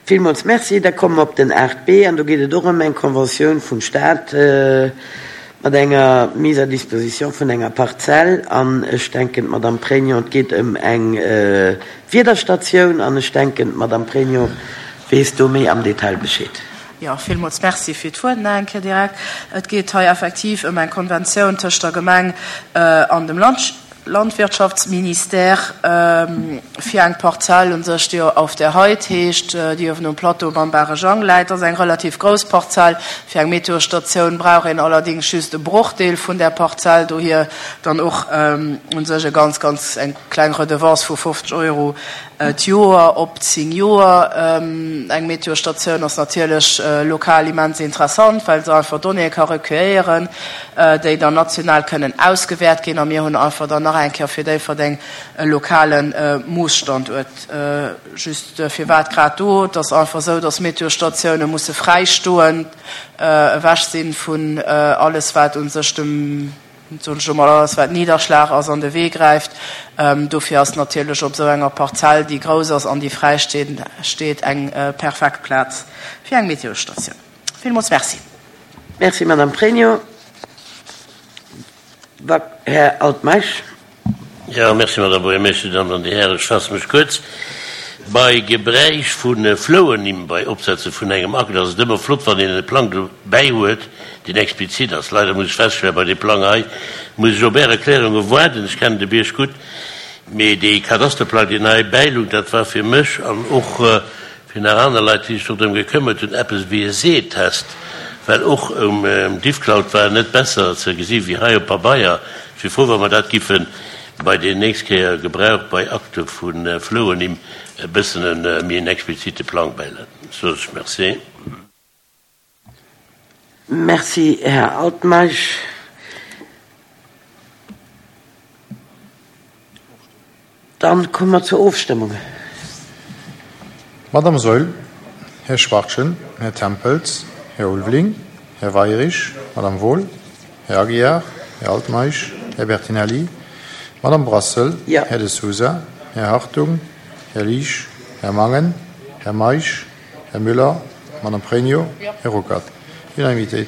Villmools Merci. Da komme mer op den 8b an do geet et och ëm eng Conventioun vum Stat mat enger Mise à disposition vun enger Parzell an ech denken, d'Madame Pregno, et geet ëm eng Wiederstatioun an ech denken, d'Madame Pregno weess do méi am Detail Bescheed. Jo, villmools Merci fir d'Wuert nach eng Kéier direkt. Et geet hei effektiv ëm eng Konventioun tëscht der Gemeng an dem Landwirtschaftsministère fir eng Parzell u sech, déi Auf der Heid heescht, déi uewen um Plateau beim Barejang läit. Dat ass eng relativ grouss Parzell. Fir eng Meteostatioun brauch een allerdéngs just e Brochdeel vun där Parzell, dohier dann och u sech e ganz, ganz eng kleng Redevance vu 50 Euro d'Joer op 10 Joer. Eng Meteostatioun ass natierlech lokal immens interessant, well se einfach Donnéeë ka recueillieren, déi dann national kënnen ausgewäert ginn. A mir hunn einfach dann nach eng Kéier fir Déifferdeng e lokale Moosstanduert. Just, firwat grad do? Et ass einfach esou, dass Meteostatioune musse fräi stoen, ewech si vun alles, wat u sech dem, soen ech elo mol, alles wat Nidderschlag ass, an de Wee gräift. Dofir ass natierlech op esou enger Parzell, déi grouss ass an déi fräi steet, eng perfekt Plaz fir eng Meteostatioun. Villmools Merci. Merci, Madame Pregno. Här Altmeisch. Jo, merci, Madame Buergermeeschtesch. Dir Dammen an Dir Hären, ech faasse mech kuerz. Bei Gebräich vu Flouernimm bei Opsetze vun engem Akt ass et ëmmer flott, wann een e Plang dobäi huet, deen explizit ass. Leider muss ech feststellen, bei deem Plang hei muss ech op Är Erklärunge waarden. Ech kennen de Bierg gutt, mee dee Kadasterplang, deen hei bäilungt, dat war fir mech an och fir nach aner Leit, déi sech do drëm gekëmmert hunn, eppes wéi e Sehtest, well och um Diffcloud war en net besser ze gesi wéi hei op Pabeier. Ech wier frou, wa mer dat giffen bei déi nächst Kéier Gebrauch bei Akte vu Flouernimm e bëssen e méi en explizite Plang bäileeën. Soss ech Merci. Merci, Här Altmeisch. Dann komme mer zur Ofstëmmung. Madame Saeul, Här Schwachtgen, Här Tempels, Här Ulveling, Här Weirich, Madame Wohl, Här Aguiar, Här Altmeisch, Här Bertinelli, Madame Brassel, Här De Sousa, Här Hartung, Här Liesch, Här Mangen, Här Meisch, Här Müller, Madame Pregno, Här Ruckert. Unanimitéit.